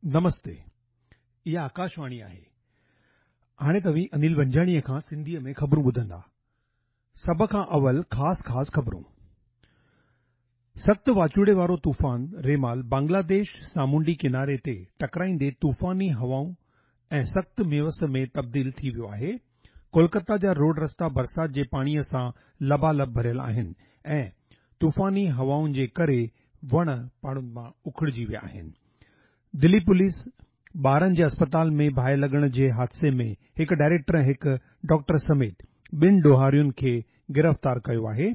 نمستي، اها آڪاشواڻي آهي. هاڻي توهين انيل ونجاڻيء کان سنڌيء ۾ خبرون ٻڌندا. سڀ کان اول خاص خاص خبرون. سخت واچوڙي وارو طوفان ريمال بنگلاديش سامونڊي ڪناري تي ٽڪرائيندي طوفاني هوائون ۽ سخت مينهن وس ۾ تبديل ٿي ويو آهي. ڪولڪتا جا روڊ رستا برسات جي پاڻيء سان لبالب ڀريل آهن ۽ طوفاني هوائن جي ڪري وڻ پاڙن مان اکڙجي ويا آهن. دلي پوليس ٻارن جي اسپتال ۾ باهه لڳڻ جي حادثي ۾ هڪ ڊائريڪٽر ۽ هڪ ڊاڪٽر سميت ٻن ڏوهارين کي گرفتار ڪيو آهي.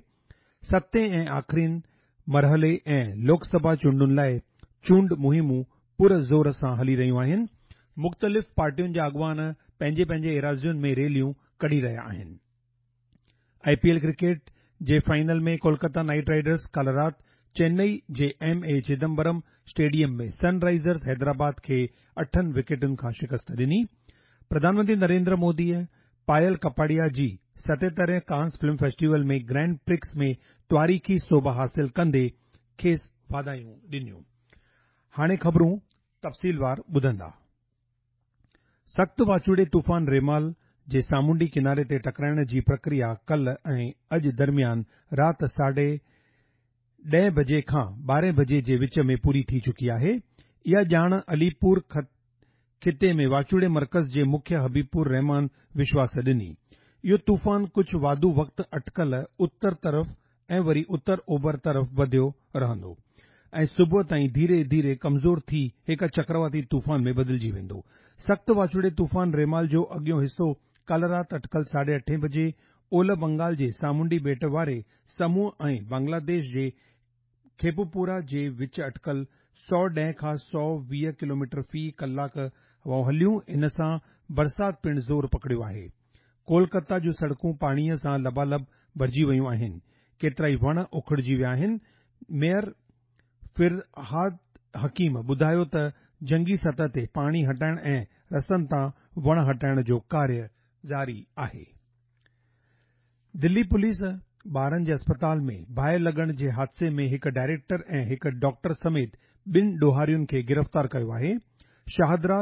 ستين ۽ آخرين مرحلي ۽ لوڪ سڀا چونڊن لاء چونڊ مهمون پر زور سان هلي رهيون آهن. مختلف پارٽين جا اڳواڻ پنهنجي پنهنجي ايراضين ۾ ريليون ڪڍي رهيا آهن. آء پي ايل ڪرڪيٽ جي فائنل ۾ ڪولڪتا نائيٽ رائيڊرز ڪالهه رات چنئي جي ايم اي چدمبرم اسٽيڊيم ۾ سن رائيزرز حيدرآباد کي اٺن وڪيٽن کان شڪست ڏني. پرڌان منتري نريندر موديء پايل ڪپاڙيا جي ستيترهين ڪانس فلم فيسٽيول ۾ گرينڊ پرڪس ۾ تواريخي سوڀ حاصل ڪندي کيس واڌايون ڏنيون. هاڻي خبرون تفصيلوار ٻڌندا. سخت واچوڙي طوفان ريمال جي سامونڊي ڪناري تي ٽڪرائڻ جي پرڪريا ڪلهه ۽ اڄ درميان رات ساڍي ڏهين بجي کان ٻارهين بجي جي وچ ۾ پوري ٿي چڪي آهي. اها ڄاڻ علي پور خطي ۾ واچوڙي مرڪز جي مکي حبيب الرحمان وشواس ڏني. اهو طوفان ڪجهه واڌو وقت اٽڪل اتر طرف ۽ وري اتر اوڀر طرف وڌيو رهندو ۽ صبح تائين ڌيري ڌيري ڪمزور ٿي هڪ چڪرواتي طوفان ۾ بدلجي ويندو. سخت واچوڙي طوفان ريمال جو اڳيون حصو ڪالهه رات اٽڪل ساڍي اٺين بجي اولهه بنگال جي سامونڊي ٻيٽ واري سموهه ۽ بنگلاديش جي کيپوپورا جي وچ اٽڪل 110 کان 120 ڪلوميٽر في ڪلاڪ هوائون هليون، ان سان برسات پڻ زور پڪڙيو آهي. ڪولڪتا جون سڙڪون پاڻيء سان لبالب ڀرجي ويون آهن، ڪيترائي وڻ اکڙجي ويا آهن. ميئر فرهاد حڪيم ٻڌايو ته جنگي سطح تي پاڻي هٽائڻ ۽ رستن تان وڻ هٽائڻ جو ڪاريه جاري آهي. دلي پوليس ٻارن جي اسپتال ۾ باهه لڳڻ جي حادثي ۾ هڪ ڊائريڪٽر ۽ هڪ ڊاڪٽر سميت ٻن ڏوهارين کي گرفتار ڪيو آهي. شاهدرا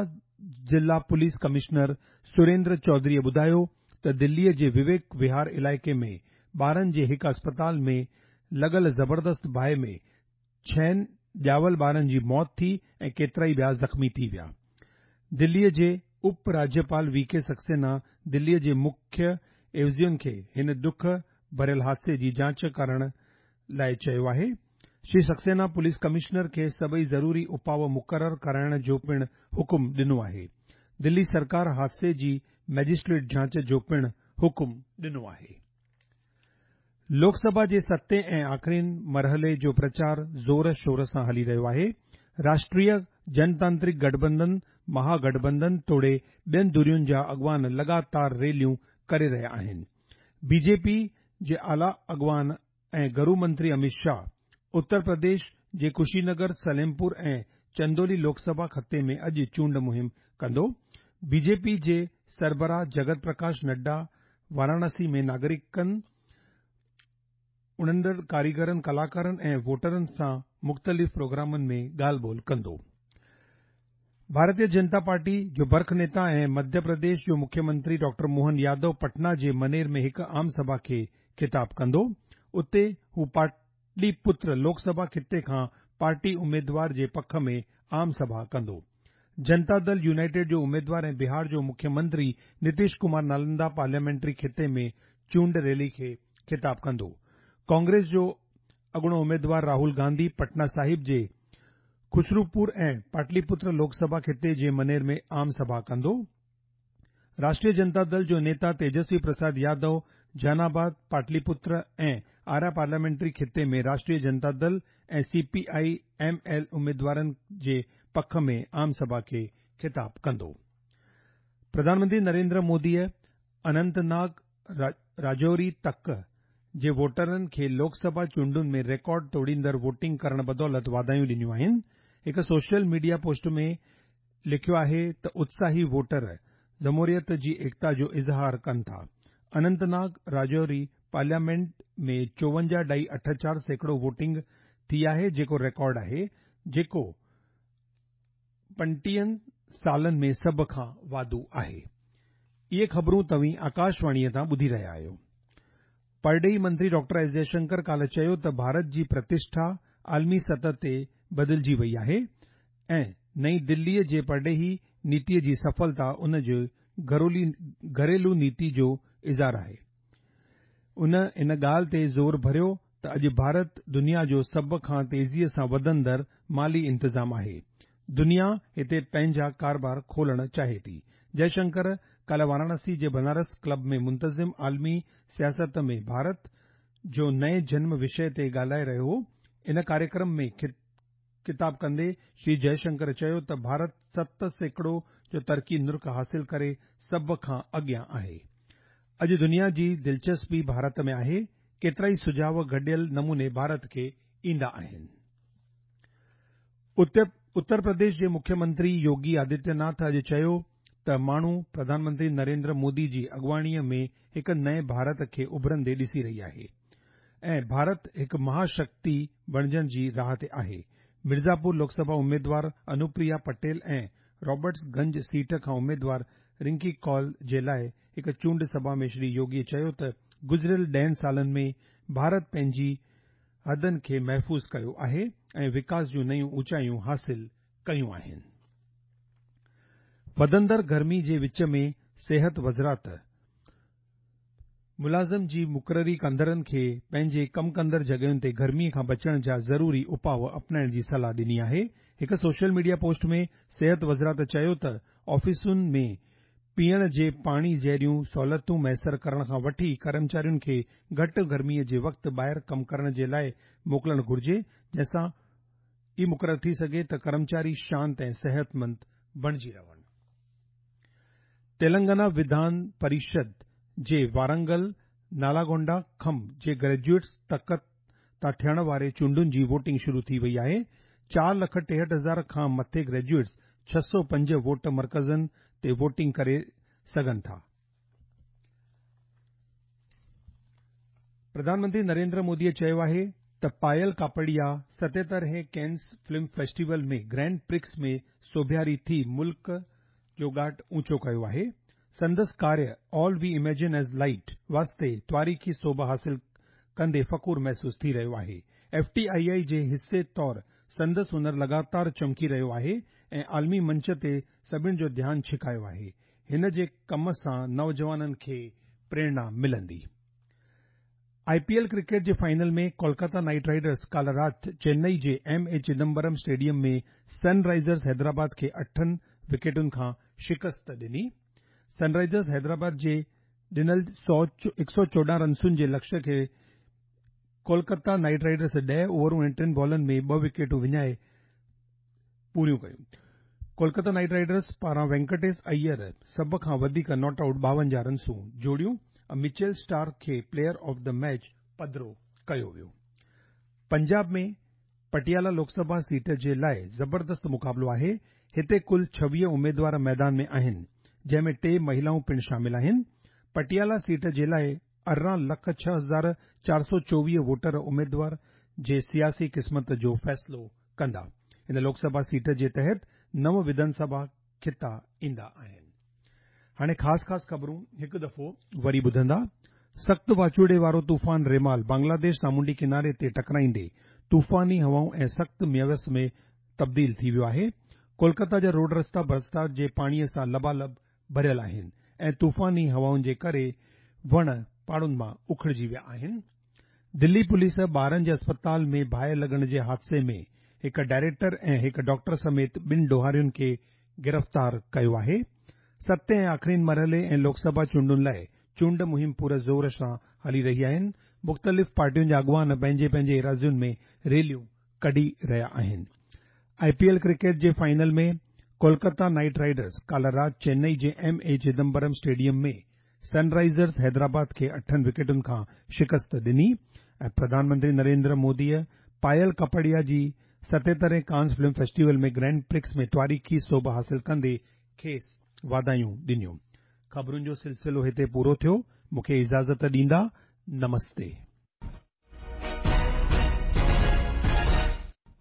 ضلع پوليس ڪمشنر سريندر چوڌريء ٻڌايو ته دليء جي وويڪ وهار علائقي ۾ ٻارن جي هڪ اسپتال ۾ لڳل زبردست باهه ۾ ڇهن ڄاول ٻارن جي موت ٿي ۽ ڪيترائي ٻيا زخمي ٿي ويا. دليء جي اپ راجيپال وي ڪي سڪسينا دليء جي مکيه عيوضين کي هن ڏک ڀريل حادثي جي جاچ ڪرڻ لاء چيو آهي. شري سڪسينا پوليس ڪمشنر کي سڀئي ضروري اپاء مقرر ڪرائڻ جو پڻ حڪم ڏنو آهي. دلي سرڪار حادثي جي مئجسٽريٽ جاچ جو پڻ حڪم ڏنو آهي. لوڪ سڀا جي ستين ۽ آخرين مرحلي جو پرچار زور شور سان هلي رهيو آهي. راشٽريه جنتانترڪ گٺبنڌن، مها گٺبنڌن توڙي ٻين ڌرين جا اڳواڻ لڳاتار ريليون ڪري رهيا آهن. بي جي پي جي اعليٰ اڳواڻ ۽ گرو منتري اميت شاهه اتر پرديش جي ڪشي نگر، سليمپور ۽ چندولي لوڪ سڀا خطي ۾ اڄ چونڊ مهم ڪندو. بي جي پي جي سربراهه جگت پرڪاش نڊا واراڻاسي ۾ ناگرڪن، اڻندڙ ڪاريگرن، ڪلاڪارن ۽ ووٽرن سان مختلف پروگرامن ۾ ڳالهه ٻولهه ڪندو. ڀارتيه جنتا پارٽي جو برک نيتا ۽ مڌيه پرديش جو مکيه منتري ڊاڪٽر موهن يادو پٽنا جي منير ۾ هڪ عام سڀا کي خطاب ڪندو. اتي هو پاٽلي پتر لوڪ سڀا خطي کان پارٽي اميدوار جي پک ۾ عام سڀا ڪندو. جنتا دل يونائيٽيڊ جو اميدوار ۽ بهار جو مکيه منتري نتيش ڪمار نالندا پارليامينٽري خطي ۾ چونڊ ريلي کي خطاب ڪندو. ڪانگريس جو اڳوڻو اميدوار راهول گانڌي پٽنا صاحب جي خسروپور ۽ پاٽلي پتر لوڪ سڀا خطي جي منير ۾ عام سڀا ڪندو. راشٽريه جنتا دل جو نيتا تيجسوي پرساد يادو جهان آباد، پاٽلي پتر ۽ آرا پارليامينٽري خطي ۾ Rashtriya Janata Dal ۽ C P I M L اميدوارن جي پک ۾ عام سڀا کي خطاب ڪندو. پرڌان منتري نريندر موديء اننت ناگ، راجوري تڪ جي ووٽرن کي لوڪ سڀا چونڊن ۾ ريڪارڊ ٽوڙيندڙ ووٽنگ ڪرڻ بدولت واڌايون ڏنيون آهن. هڪ سوشل ميڊيا پوسٽ ۾ لکيو آهي ته اتساهي ووٽر جمهوريت جي ايڪتا جو اظهار ڪن ٿا. اننت ناگ راجوري پارليامينٽ ۾ چوونجاهه ڏهائي اٺ چار سيڪڙو ووٽنگ ٿي آهي جيڪو ريڪارڊ آهي جيڪو 25 سالن ۾ سڀ کان واڌو آهي. اهي خبرون توهين آڪاشواڻيء تان ٻڌي رهيا آهيو. پرڏيهي منتري ڊاڪٽر ايس جئشنڪر ڪالهه چيو ته ڀارت جي پرتشٺا عالمي سطح تي بدلجي وئي آهي ۽ نئين دليء جي پرڏيهي نيتيء جي سڦلتا ان جي گهريلو نيتي جو اظهار آهي. ان ان ڳالهه تي زور ڀريو ته اڄ ڀارت دنيا جو سڀ کان تيزيء سان وڌندڙ مالي انتظام آهي. دنيا هتي پنهنجا ڪاروبار کولڻ چاهي ٿي. جئشنڪر ڪالهه واراڻسي جي بنارس ڪلب ۾ منتظم عالمي سياست ۾ ڀارت جو نئين جنم وشيه تي ڳالهائي رهيو هو. ان ڪاريڪرم ۾ خطاب ڪندي شري جئشنڪر چيو ته ڀارت 7% جو ترقي نرخ حاصل ڪري سڀ کان اڳيان آهي. اڄ دنيا جي دلچسپي ڀارت ۾ آهي، ڪيترائي سجهاء گڏيل نموني ڀارت کي ايندا آهن. اتر پرديش جي مکيه منتري يوگي آدتيه ناٿ اڄ چيو ته ماڻهو پرڌان منتري نريندر مودي جي اڳواڻيء ۾ هڪ نئين ڀارت کي اڀرندي ڏسي رهي آهي ۽ ڀارت هڪ مها شڪتي بڻجڻ جي راهه تي آهي. مرزاپور لوڪ سڀا اميدوار انوپريا پٽيل ۽ رابرٽس گنج سيٽ کان اميدوار رنڪي ڪول جي لاء هڪ چونڊ سڀا ۾ شري يوگي چيو ته گذريل ڏهن سالن ۾ ڀارت پنهنجي حدن کي محفوظ ڪيو آهي ۽ وڪاس جون نيون اوچايون حاصل ڪيون آهن. وڌندڙ گرمي جي وچ ۾ صحت وزارت ملازم جي مقرري ڪندڙن کي پنهنجي ڪم ڪندڙ جڳهين تي گرمي کان بچڻ جا ضروري اپاء اپنائڻ جي صلاح ڏني آهي. هڪ سوشل ميڊيا پوسٽ ۾ صحت وزارت چيو ته آفيسن ۾ پيئڻ جي پاڻي جهڙيون سهولتون ميسر ڪرڻ کان وٺي ڪرمچارين کي گهٽ گرمي جي وقت ٻاهر ڪم ڪرڻ جي لاء موڪلڻ گهرجي جنهن سان ئي مقرر ٿي سگهي ته ڪرمچاري شانت ۽ صحتمند بڻجي رهن. تيلنگانا وڌان پريشد جي وارنگل، نالاگونڊا کم جي گريجوئيٽس تڪ تان ٿيڻ واري چونڊن جي ووٽنگ شروع ٿي وئي آهي. 4,63,000 کان مٿي گريجوئيٽس 605 ووٽ مرڪزن تي ووٽنگ ڪري سگهن ٿا. پرڌان منتري نريندر موديء چيو آهي ته پايل ڪاپڙيا 77 هين Keane film festival ۾ grand Prix ۾ سوڀياري ٿي ملڪ جو ڳاٽ اوچو ڪيو آهي. سندس ڪاريه All We Imagine As Light واسطي تواريخي سوڀ حاصل ڪندي فخور محسوس ٿي رهيو آهي. ايف ٽي آء آء جي حصي طور سندس هنر لڳاتار چمڪي رهيو آهي ۽ عالمي منچ تي سڀن جو ڌيان ڇڪايو آهي. هن جي ڪم سان نوجوانن کي پريرڻا ملندي. آء پي ايل ڪرڪيٽ جي فائنل ۾ ڪولڪاتا نائيٽ رائيڊرز ڪالهه رات چنئي جي M A Chidambaram stadium ۾ sun risers Hyderabad کي اٺن وڪيٽن کان شڪست ڏني. سن رائيزرز حيدرآباد جي ڏنل 114 رنسن جي لڪشيه کي ڪولڪاتا نائيٽ رائيڊرز 10 اوورون ۽ ٽن بالن ۾ ٻه وڪيٽون وڃائي پوريون ڪيون. ڪولڪاتا نائيٽ رائيڊرز پاران وينڪٽيش ايئر سڀ کان وڌيڪ not out 52 رنسون جوڙيون ۽ مچيل اسٽارڪ کي پليئر آف the match پڌرو ڪيو ويو. پنجاب ۾ پٽيالا لوڪ سڀا سيٽ جي لاء زبردست مقابلو آهي، هتي ڪل 26 اميدوار ميدان ۾ آهن، جنهن ۾ ٽي مهيلائون پڻ شامل آهن. پٽيالا سيٽ جي لاء 18 لک 6424 ووٽر اميدوار جي سياسي قسمت جو فيصلو ڪندا. هن لوڪ سڀا سيٽ جي تحت نو وڌان سڀا خطا ايندا آهن. هاڻي خاص خاص خبرون هڪ دفعو وري ٻڌندا. سخت واچوڙي وارو طوفان ريمال بنگلاديش سامونڊي ڪناري تي ٽڪرائيندي طوفاني هوائون ۽ سخت مينهن ۾ تبديل ٿي ويو آهي. ڪولڪتا جا روڊ رستا برسات جي پاڻي سان لبالب ڀريل آهن ۽ طوفاني هوائن جي ڪري وڻ پاڙن مان اکڙجي ويا آهن. دلي پوليس ٻارن جي اسپتال ۾ باهه لڳڻ جي حادثي ۾ هڪ ڊائريڪٽر ۽ هڪ ڊاڪٽر سميت ٻن ڏوهارين کي گرفتار ڪيو آهي. ستين ۽ آخرين مرحلي ۽ لوڪ سڀا چونڊن لاء چونڊ مهم پور زور سان هلي رهي آهن. مختلف پارٽين جا اڳواڻ پنهنجي پنهنجي ايراضين ۾ ريليون ڪڍي رهيا آهن. آء پي ايل ڪرڪيٽ جي فائنل ۾ ڪولڪتا نائيٽ رائيڊرز ڪالهه رات چنئي جي M A Chidambaram stadium ۾ sun risers Hyderabad کي اٺن وڪيٽن کان شڪست ڏني ۽ پرڌان منتري نريندر موديء پايل ڪاپڙيا جي 77 هين Cannes film festival ۾ grand Prix ۾ تواريخي سوڀ حاصل ڪندي کيس واڌايون ڏنيون. خبرن جو سلسلو هتي پورو ٿيو. مون کي اجازت ڏيندا. نمستي.